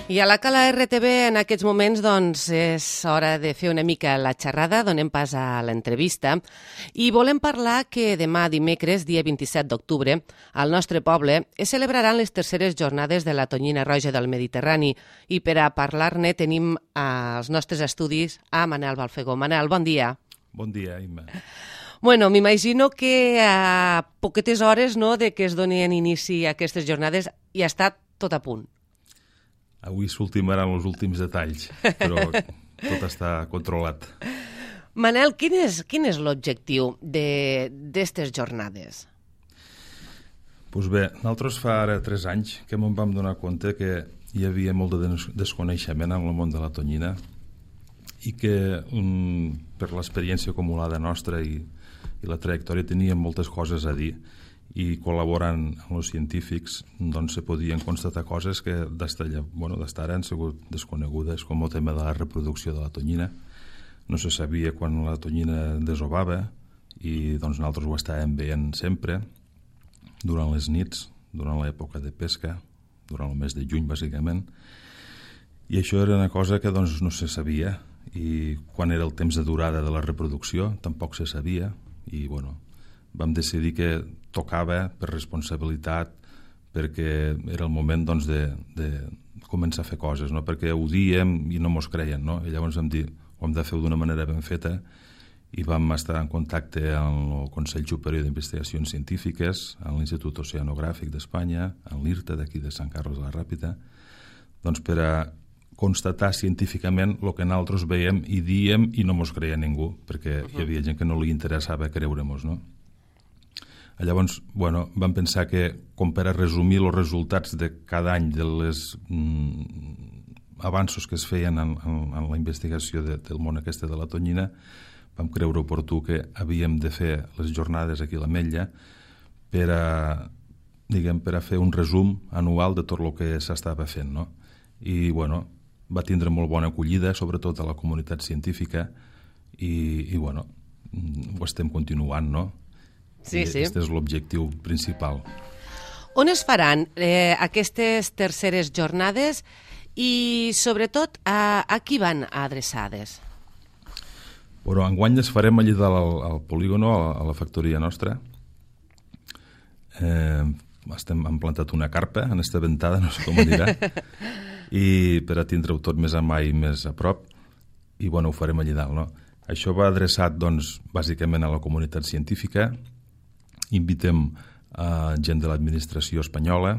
I a la Cala RTV en aquests moments doncs, és hora de fer una mica la xerrada, donem pas a l'entrevista i volem parlar que demà dimecres, dia 27 d'octubre, al nostre poble es celebraran les terceres jornades de la tonyina roja del Mediterrani i per a parlar-ne tenim als nostres estudis a Manel Balfegó. Manel, bon dia. Bon dia, Imma. Bueno, m'imagino que a poquetes hores de que es donin inici a aquestes jornades ja està tot a punt. Avui s'ultimaran els últims detalls, però tot està controlat. Manel, quin és l'objectiu d'aquestes jornades? Doncs bé, nosaltres fa ara 3 anys que ens vam donar compte que hi havia molt de desconeixement en el món de la tonyina i que per l'experiència acumulada nostra i la trajectòria teníem moltes coses a dir i col·laborant amb els científics doncs se podien constatar coses que d'ara han sigut desconegudes, com el tema de la reproducció de la tonyina. No se sabia quan la tonyina desovava i doncs nosaltres ho estàvem veient sempre durant les nits, durant l'època de pesca, durant el mes de juny bàsicament, i això era una cosa que doncs no se sabia, i quan era el temps de durada de la reproducció tampoc se sabia, i vam decidir que tocava per responsabilitat, perquè era el moment doncs, de començar a fer coses, no? Perquè ho diem i no mos creien, no? I llavors vam dir, ho hem de fer d'una manera ben feta, i vam estar en contacte amb el Consell Superior d'Investigacions Científiques, amb l'Institut Oceanogràfic d'Espanya, amb l'IRTA d'aquí de Sant Carles de la Ràpita, doncs per a constatar científicament el que nosaltres veiem i diem i no mos creia ningú, perquè hi havia gent que no li interessava creure-mos, no? Llavors, vam pensar que, com per a resumir els resultats de cada any dels avanços que es feien en la investigació del món aquesta de la tonyina, vam creure oportú que havíem de fer les jornades aquí a l'Ametlla per a fer un resum anual de tot el que s'estava fent, no? I, va tindre molt bona acollida, sobretot a la comunitat científica, i ho estem continuant, no? Sí. Aquest és l'objectiu principal. On es faran aquestes terceres jornades i, sobretot, a qui van adreçades? Enguany les farem allà al polígono, a la factoria nostra. Hem plantat una carpa en esta ventada, no sé com ho dirà, i per a tindre-ho tot més a mà i més a prop, i ho farem allà dalt, no? Això va adreçat, doncs, bàsicament a la comunitat científica. Invitem a gent de l'administració espanyola,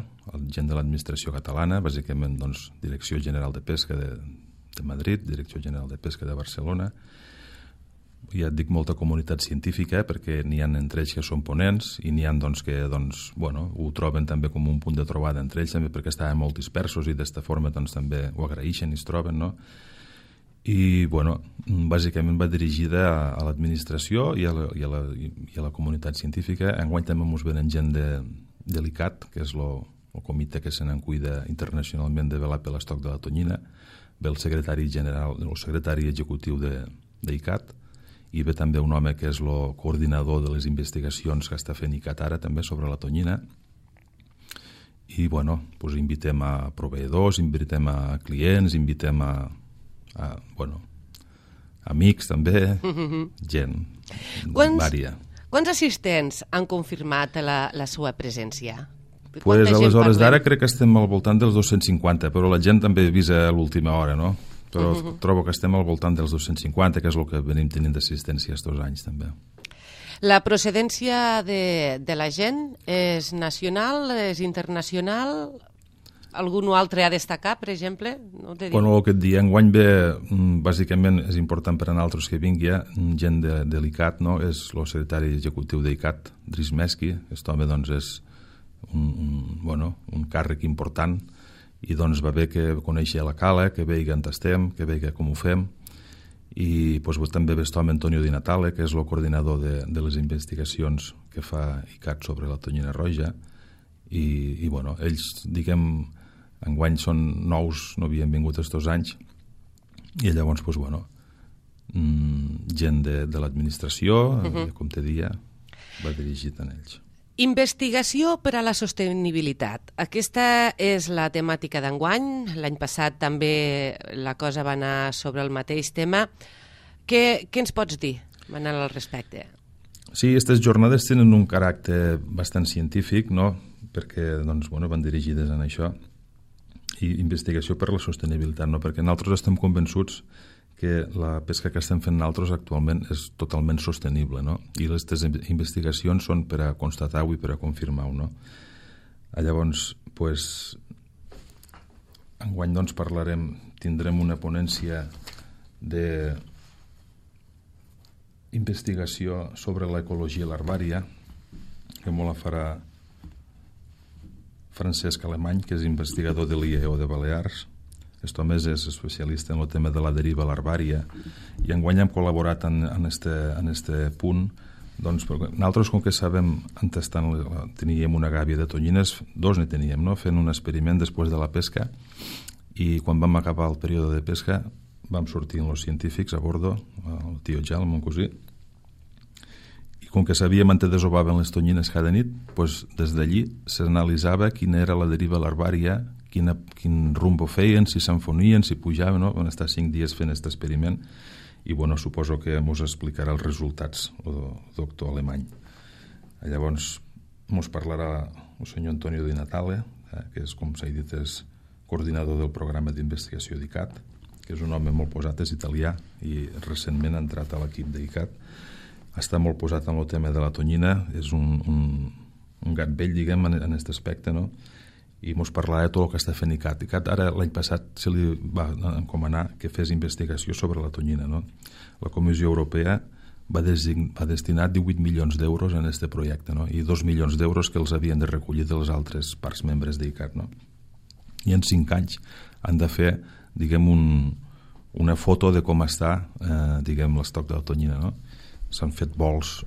gent de l'administració catalana, bàsicament, doncs, Direcció General de Pesca de Madrid, Direcció General de Pesca de Barcelona. Ja et dic molta comunitat científica, perquè n'hi ha entre ells que són ponents i n'hi ha que ho troben també com un punt de trobada entre ells, també perquè estaven molt dispersos i d'esta forma també ho agraeixen i es troben, no? I, bàsicament va dirigida a l'administració i a la comunitat científica. Enguany també ens venen gent de l'ICAT, que és el comitè que se n'en cuida internacionalment de velar per l'estoc de la tonyina, ve el secretari general, el secretari executiu d'ICAT, i ve també un home que és el coordinador de les investigacions que està fent ICAT ara també sobre la tonyina. I, invitem a proveïdors, invitem a clients, invitem a amics també, gent vària. Quants assistents han confirmat la seva presència? A les hores d'ara crec que estem al voltant dels 250, però la gent també avisa a l'última hora, no? Però trobo que estem al voltant dels 250, que és el que venim tenint d'assistència estos anys també. La procedència de la gent és nacional, és internacional? Algun altre a destacar, per exemple? El que et dic, enguany ve, bàsicament és important per a nosaltres que vingui gent de l'ICAT, no? És el secretari executiu d'ICAT, Dries Meski. Aquest home és un càrrec important i va bé que coneixi la cala, que vegi on estem, que vegi com ho fem. I també ve aquest home Antonio Di Natale, que és el coordinador de les investigacions que fa ICAT sobre la tonyina roja. I ells, enguany són nous, no havien vingut estos anys, i llavors, gent de l'administració, com te dia, va dirigit a ells. Investigació per a la sostenibilitat. Aquesta és la temàtica d'enguany. L'any passat també la cosa va anar sobre el mateix tema. Què ens pots dir, Manel, al respecte? Sí, aquestes jornades tenen un caràcter bastant científic, no? Perquè van dirigides en això. I investigació per a la sostenibilitat, no? Perquè nosaltres estem convençuts que la pesca que estem fent nosaltres actualment és totalment sostenible, no? I aquestes investigacions són per a constatar-ho i per a confirmar-ho, no? Llavors, enguany tindrem una ponència d'investigació sobre l'ecologia larvària, que molt la farà Francesc Alemany, que és investigador de l'IEO de Balears. Aquest home és especialista en el tema de la deriva larvària i enguany hem col·laborat en este punt. Nosaltres, com que sabem, teníem una gàbia de tonyines, dos ne teníem, no? Fent un experiment després de la pesca, i quan vam acabar el període de pesca vam sortir amb els científics a bordo, el tio Gel, el mon cosí, i com que sabíem on desovaven les tonyines cada nit, des d'allí s'analitzava quina era la deriva larvària, quin rumbo feien, si s'enfonien, si pujaven, no? Van estar 5 dies fent aquest experiment i suposo que ens explicarà els resultats el doctor Alemany. Llavors ens parlarà el senyor Antonio Di Natale, que és, com s'ha dit, és coordinador del programa d'investigació d'ICAT, que és un home molt posat, és italià i recentment ha entrat a l'equip d'ICAT. Està molt posat en el tema de la tonyina, és un gat vell, diguem, en aquest aspecte, no? I ens parlarà de tot el que està fent ICAT. ICAT ara, l'any passat, se li va encomanar que fes investigació sobre la tonyina, no? La Comissió Europea va destinar 18 milions d'euros en aquest projecte, no? I 2 milions d'euros que els havien de recollir de les altres parts membres d'ICAT, no? I en 5 anys han de fer, diguem, una foto de com està, diguem, l'estoc de la tonyina, no? S'han fet vols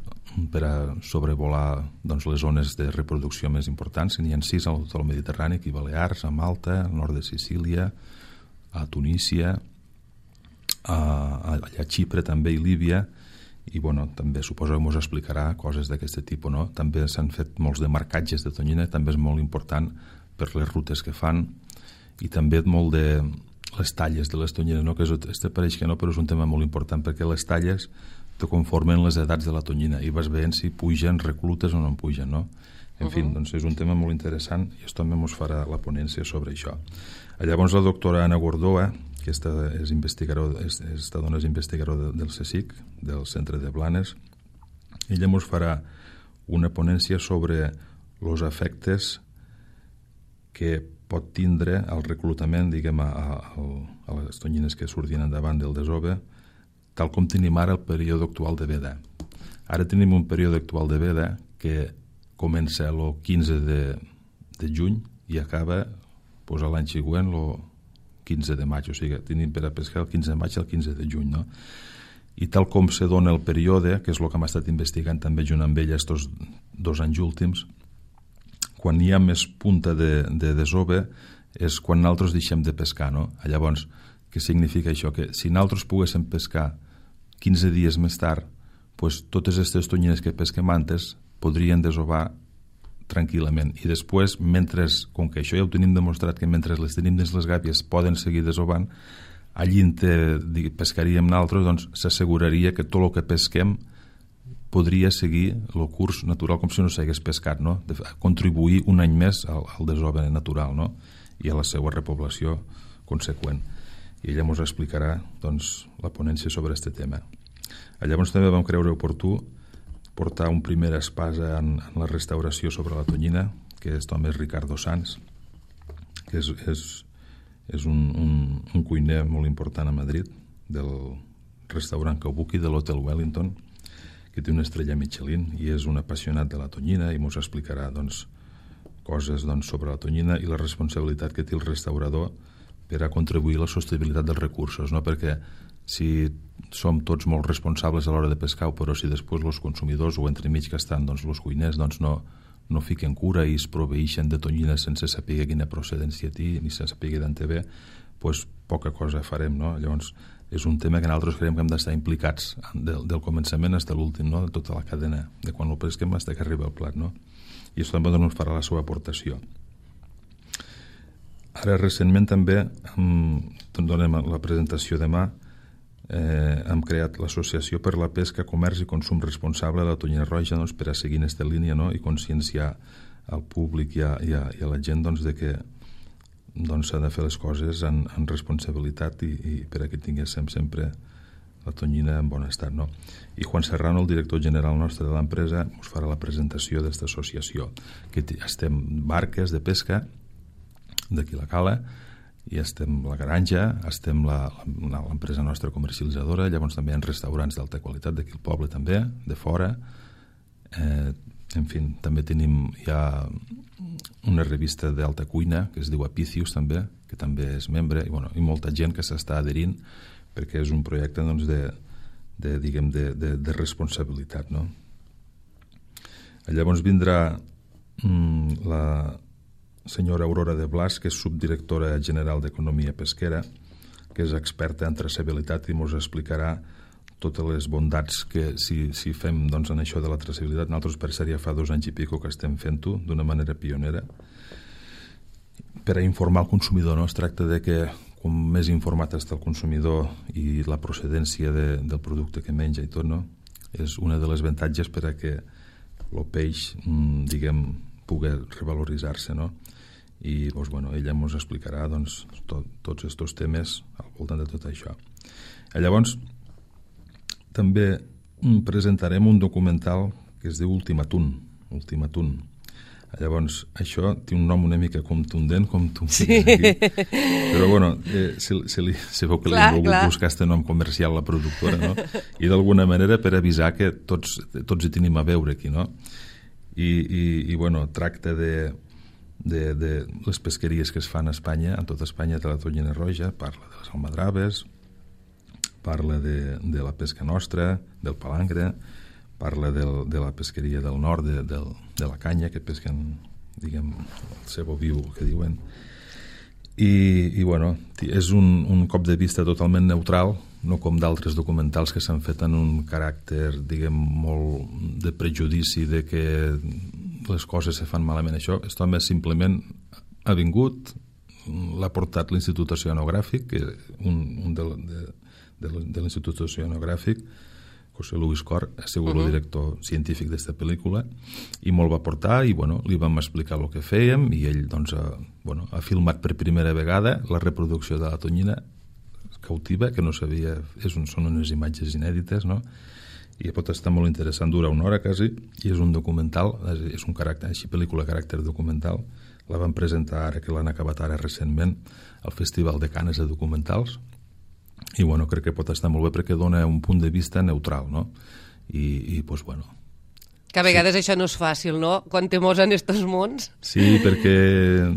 per a sobrevolar les zones de reproducció més importants. N'hi ha 6 al tot el Mediterrani, aquí a Balears, a Malta, al nord de Sicília, a Tunísia, a Xipre també i Líbia, i també suposo que ens explicarà coses d'aquest tipus, no? També s'han fet molts de marcatges de tonyina, també és molt important per les rutes que fan, i també molt de les talles de les tonyines, no? Que pareix que no, però és un tema molt important, perquè les talles te conformen les edats de la tonyina i vas veient si pugen, reclutes o no en pugen, no? En fi, és un tema molt interessant i també ens farà la ponència sobre això. Llavors la doctora Anna Gordoa, que esta dona és investigadora del CSIC, del Centre de Blanes, ella ens farà una ponència sobre els efectes que pot tindre el reclutament, diguem, a les tonyines que surtin endavant del desove, tal com tenim ara el període actual de veda. Ara tenim un període actual de veda que comença el 15 de juny i acaba l'any següent el 15 de maig, o sigui, tenim per a pescar el 15 de maig i el 15 de juny, no? I tal com se dona el període, que és el que hem estat investigant també junt amb ella estos 2 anys últims, quan hi ha més punta de desove és quan nosaltres deixem de pescar, no? Llavors, què significa això? Que si nosaltres poguéssim pescar 15 dies més tard, totes aquestes tonyines que pesquem antes podrien desovar tranquil·lament. I després, com que això ja ho tenim demostrat, que mentre les tenim dins les gàbies poden seguir desovant, allí pescaríem nosaltres, doncs s'asseguraria que tot el que pesquem podria seguir el curs natural com si no s'hagués pescat, no? Contribuir un any més al desove natural, no? I a la seva repoblació conseqüent. I ella ens explicarà la ponència sobre aquest tema. Llavors també vam creure oportú portar un primer espasa en la restauració sobre la tonyina, que és també Ricardo Sanz, que és un cuiner molt important a Madrid, del restaurant Kabuki, de l'Hotel Wellington, que té una estrella Michelin i és un apassionat de la tonyina i ens explicarà coses sobre la tonyina i la responsabilitat que té el restaurador per a contribuir a la sostenibilitat dels recursos, no? Perquè si som tots molt responsables a l'hora de pescar, però si després els consumidors o entremig que estan els cuiners no fiquen cura i es proveixen de tonyina sense saber quina procedència té ni sense saber d'on ve, poca cosa farem, no? Llavors és un tema que nosaltres creiem que hem d'estar implicats del començament fins a l'últim, no? De tota la cadena, de quan ho pesquem fins que arriba al plat, no? i això també ens farà la seva aportació. Ara, recentment també, donem la presentació demà, hem creat l'Associació per la Pesca, Comerç i Consum Responsable de la Tonyina Roja, doncs, per a seguir en aquesta línia, no? I conscienciar al públic i a la gent, doncs, de que s'ha de fer les coses en responsabilitat i per a que tinguéssim sempre la tonyina en bon estat, no? I Juan Serrano, el director general nostre de l'empresa, us farà la presentació d'aquesta associació, que estem barques de pesca d'aquí la Cala, i estem la Garanja, estem l'empresa nostra comercialitzadora, llavors també hi ha restaurants d'alta qualitat d'aquí al poble també, de fora, en fi, també tenim ja una revista d'alta cuina que es diu Apicius també, que també és membre, i molta gent que s'està adherint perquè és un projecte, doncs, de responsabilitat, no? Llavors vindrà la senyora Aurora de Blas, que és subdirectora general d'Economia Pesquera, que és experta en traçabilitat i ens explicarà totes les bondats que si fem, doncs, en això de la traçabilitat. Nosaltres, per cert, ja fa 2 anys i pico que estem fent-ho d'una manera pionera per a informar el consumidor, no? Es tracta de que com més informat està el consumidor i la procedència del producte que menja i tot, no? És una de les avantatges per a que el peix, diguem, pugui revaloritzar-se, no? I doncs, ella ens explicarà, doncs, tots aquests temes al voltant de tot això. Llavors, també presentarem un documental que es diu Ultimatun. Llavors, això té un nom una mica contundent, com tu sí. Aquí. Però, se veu que li hem volgut buscar aquest nom comercial a la productora, no? I d'alguna manera per avisar que tots hi tenim a veure aquí, no? I tracta de les pesqueries que es fan a Espanya, en tota Espanya, de la tonyina roja, parla de les almadraves, parla de la pesca nostra, del palangre, parla de la pesqueria del nord, de la canya, que pesquen, diguem, el cebo viu, que diuen. I és un cop de vista totalment neutral, no com d'altres documentals que s'han fet en un caràcter, diguem, molt de prejudici de que les coses se fan malament. Això home simplement ha vingut, l'ha portat l'Institut Oceanogràfic, que un de l'Institut Oceanogràfic, José Luis Cor, ha sigut el director científic d'aquesta pel·lícula, i me'l va portar i li vam explicar el que fèiem, i ell doncs, ha filmat per primera vegada la reproducció de la tonyina cautiva, que no sabia, són unes imatges inèdites, no? I pot estar molt interessant, dura 1 hora quasi, i és un documental, és un caràcter, així pel·lícula caràcter documental. La van presentar ara, que l'han acabat ara recentment, al Festival de Canes de Documentals, i crec que pot estar molt bé perquè dona un punt de vista neutral, no? I doncs, que a vegades això no és fàcil, no? Quan te mos en estos mons. Sí, perquè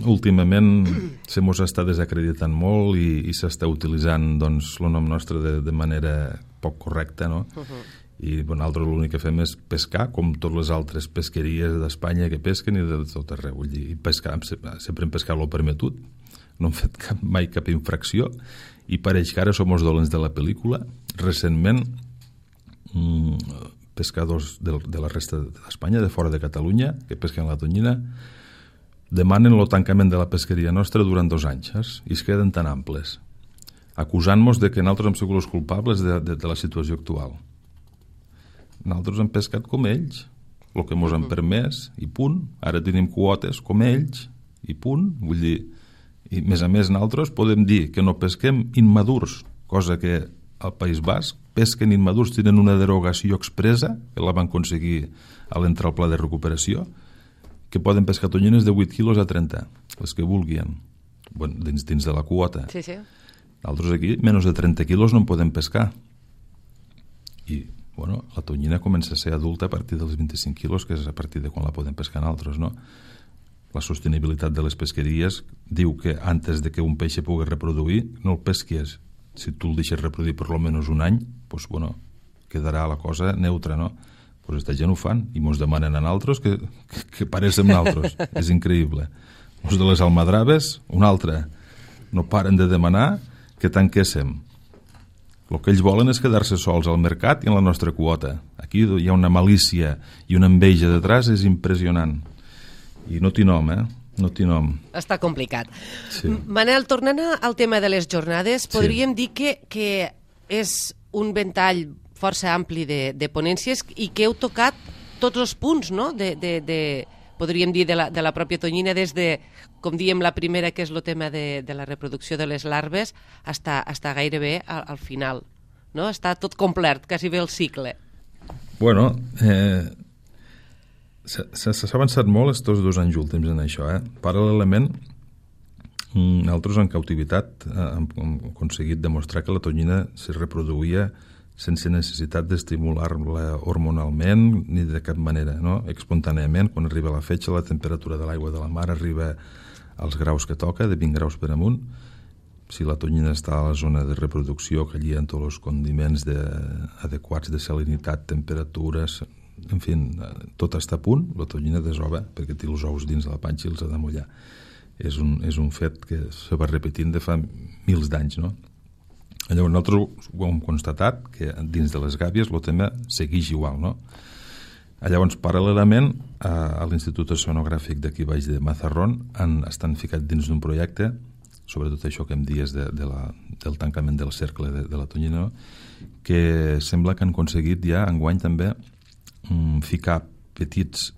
últimament se mos està desacreditant molt i s'està utilitzant, doncs, el nom nostre de manera poc correcta, no? I nosaltres l'únic que fem és pescar, com totes les altres pesqueries d'Espanya que pesquen i de tot arreu. Vull dir, sempre hem pescat lo permetut, no hem fet mai cap infracció, i pareix que ara som els dolents de la pel·lícula. Recentment, pescadors de la resta d'Espanya, de fora de Catalunya, que pesquen la tonyina, demanen el tancament de la pesqueria nostra durant 2 anys, i es queden tan amples, acusant-nos de que nosaltres hem sigut els culpables de la situació actual. Nosaltres hem pescat com ells, el que ens han permès, i punt. Ara tenim quotes com ells, i punt. Vull dir, i a més nosaltres podem dir que no pesquem immadurs, cosa que al País Basc pesquen immadurs, tenen una derogació expressa, que la van aconseguir a l'entrar al pla de recuperació, que poden pescar tonyines de 8 quilos a 30, les que vulguin, dins de la quota. Sí, sí. Nosaltres aquí, menys de 30 quilos no en podem pescar. I, la tonyina comença a ser adulta a partir dels 25 quilos, que és a partir de quan la podem pescar nosaltres, no? La sostenibilitat de les pesqueries diu que antes de que un peix pugui reproduir, no el pesquis. Si tu el deixes reproduir per almenys 1 any, doncs, quedarà la cosa neutra, no? Doncs aquesta gent ho fan i ens demanen a nosaltres que paréssim nosaltres. És increïble. Els de les almadraves, un altre. No paren de demanar que tanquéssim. El que ells volen és quedar-se sols al mercat i en la nostra quota. Aquí hi ha una malícia i una enveja detrás, és impressionant. I no té nom, No té nom. Està complicat. Sí. Manel, tornant al tema de les jornades, podríem dir que és un ventall força ampli de ponències i que heu tocat tots els punts, no?, podríem dir, de la pròpia tonyina, des de, com diem, la primera, que és el tema de la reproducció de les larves, està gairebé al final, no? Està tot complet, quasi bé el cicle. Bueno, s'ha avançat molt estos 2 anys últims en això. Paral·lelament, nosaltres en cautivitat hem aconseguit demostrar que la tonyina se reproduïa sense necessitat d'estimular-la hormonalment ni de cap manera, no? Espontàniament, quan arriba la fetge, la temperatura de l'aigua de la mar arriba als graus que toca, de 20 graus per amunt. Si la tonyina està a la zona de reproducció, que allí hi ha tots els condiments adequats de salinitat, temperatures, en fi, tot està a punt, la tonyina desova, perquè té els ous dins de la panxa i els ha de mullar. És un fet que se va repetint de fa mils d'anys, no? Llavors nosaltres ho hem constatat, que dins de les gàbies el tema segueix igual, no? Llavors, paral·lelament, a l'Institut Oceanogràfic d'aquí baix de Mazarrón estan ficats dins d'un projecte, sobretot això que em dies del tancament del cercle de la tonyina, que sembla que han aconseguit ja enguany també ficar petites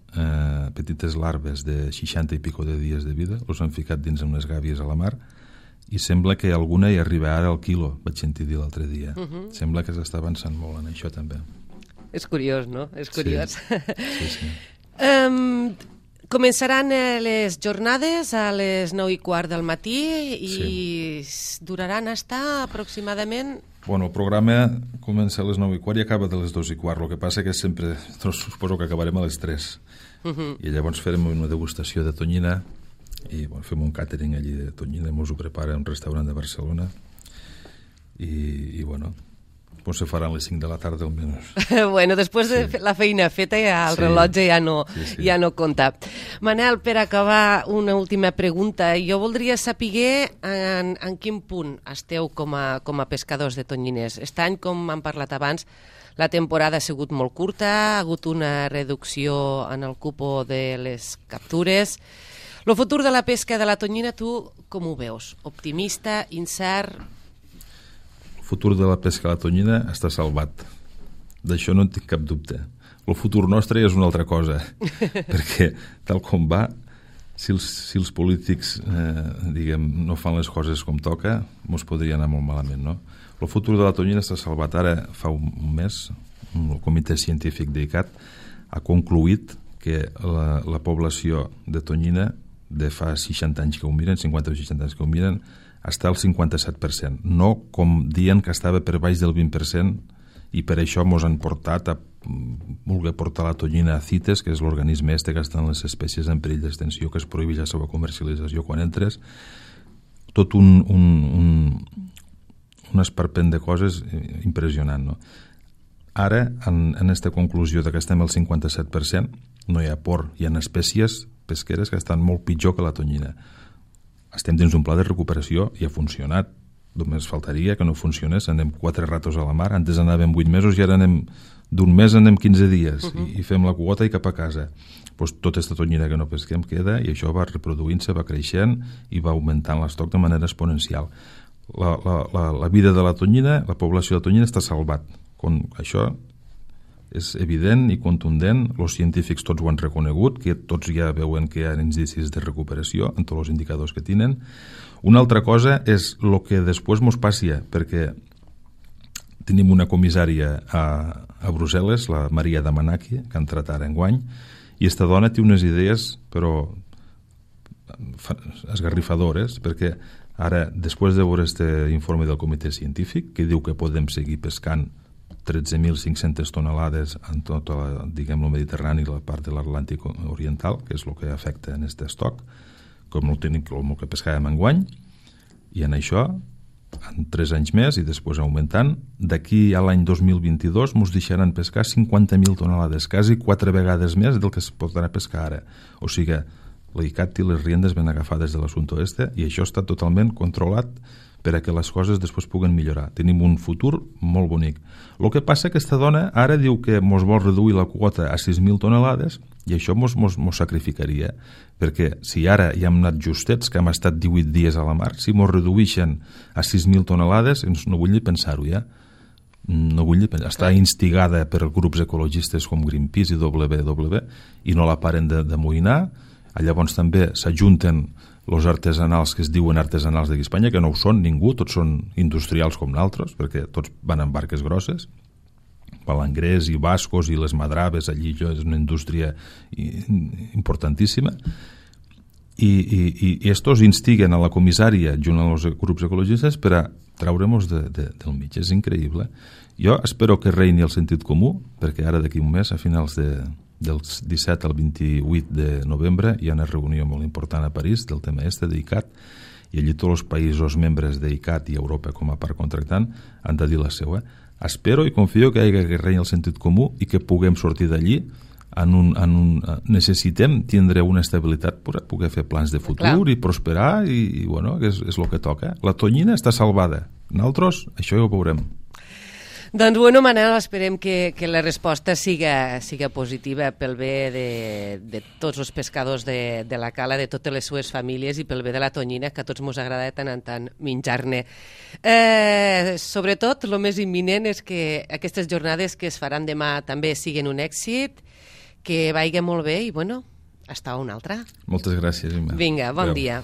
larves de 60 i pico de dies de vida, els han ficat dins unes gàbies a la mar, i sembla que alguna hi arriba ara al quilo, vaig sentir dir l'altre dia. Sembla que s'està avançant molt en això també. És curiós, no? És curiós. Sí. Començaran les jornades a les 9:15 del matí i duraran hasta aproximadament... Bueno, el programa comença a les 9:15 i acaba de les 2:15. El que passa que sempre, suposo que acabarem a les 3. I llavors farem una degustació de tonyina i fem un càtering allí de tonyina, ens ho prepara un restaurant de Barcelona i se faran les 5 de la tarda almenys. Bueno, després de la feina feta ja el rellotge ja no compta. Manel, per acabar, una última pregunta. Jo voldria saber en quin punt esteu com a pescadors de tonyines. Aquest any, com hem parlat abans, la temporada ha sigut molt curta, ha hagut una reducció en el cupo de les captures. El futur de la pesca de la tonyina, tu com ho veus? Optimista, incert? El futur de la pesca de la tonyina està salvat. D'això no en tinc cap dubte. El futur nostre és una altra cosa, perquè tal com va, si els polítics no fan les coses com toca, ens podria anar molt malament, no? El futur de la tonyina està salvat. Ara, fa un mes, el comitè científic d'ICAT ha concluït que la població de tonyina de fa 60 anys que ho miren, 50 o 60 anys que ho miren, està al 57%. No com dient que estava per baix del 20%, i per això ens han portat a voler portar la tonyina a CITES, que és l'organisme que està en les espècies en perill d'extinció, que es prohibeix la seva comercialització quan entres. Tot un esperpent de coses impressionant, no? Ara, en aquesta conclusió que estem al 57%, no hi ha port, hi ha espècies pesqueres que estan molt pitjor que la tonyina. Estem dins d'un pla de recuperació i ha funcionat. Només faltaria que no funcionés. Anem 4 ratos a la mar, antes anàvem 8 mesos i ara d'un mes anem 15 dies i fem la quota i cap a casa. Tota aquesta tonyina que no pesquem queda i això va reproduint-se, va creixent i va augmentant l'estoc de manera exponencial. La vida de la tonyina, la població de tonyina està salvat. Això és evident i contundent, els científics tots ho han reconegut, que tots ja veuen que hi ha indicis de recuperació en tots els indicadors que tenen. Una altra cosa és el que després ens passi, perquè tenim una comissària a Brussel·les, la Maria Damanaki, que ha entrat ara enguany, i aquesta dona té unes idees, però esgarrifadores, perquè ara, després de veure aquest informe del comitè científic, que diu que podem seguir pescant 13.500 tonelades en tot el Mediterrani i la part de l'Atlàntic oriental, que és el que afecta en aquest estoc, com el que pescàvem enguany, i en això, en 3 anys més, i després augmentant, d'aquí a l'any 2022 ens deixaran pescar 50.000 tonelades, quasi 4 vegades més del que es podrà pescar ara. O sigui, l'ICAT té les riendes ben agafades de l'assumpte este i això està totalment controlat per a que les coses després puguen millorar. Tenim un futur molt bonic. El que passa que aquesta dona ara diu que mos vol reduir la quota a 6.000 tonelades i això mos sacrificaria, perquè si ara ja hem anat justets, que hem estat 18 dies a la mar, si mos redueixen a 6.000 tonelades, no vull ni pensar-ho ja. No vull dir, està instigada per grups ecologistes com Greenpeace i WWF i no la paren d'amoïnar. Llavors també s'ajunten els artesanals que es diuen artesanals d'aquí a Espanya, que no ho són ningú, tots són industrials com nosaltres, perquè tots van en barques grosses, palangrers i bascos i les madraves, allí és una indústria importantíssima, i estos instiguen a la comissària junt amb els grups ecologistes per a treure-nos del mig. És increïble. Jo espero que reini el sentit comú, perquè ara d'aquí un mes, a finals del 17 al 28 de novembre, hi ha una reunió molt important a París del tema d'ICAT, i allí tots els països membres d'ICAT i Europa com a part contractant han de dir la seva. Espero i confio que reini el sentit comú i que puguem sortir d'allí necessitem tindre una estabilitat per poder fer plans de futur i prosperar i bueno, és el que toca. La tonyina està salvada. Nosaltres això ja ho veurem. Doncs, bueno, Manel, esperem que la resposta siga positiva pel bé de tots els pescadors de la cala, de totes les seues famílies i pel bé de la tonyina, que a tots ens agrada de tant en tant menjar-ne. Sobretot, el més imminent és que aquestes jornades que es faran demà també siguin un èxit, que vagi molt bé i, bueno, hasta una altra. Moltes gràcies, Imma. Vinga, bon dia.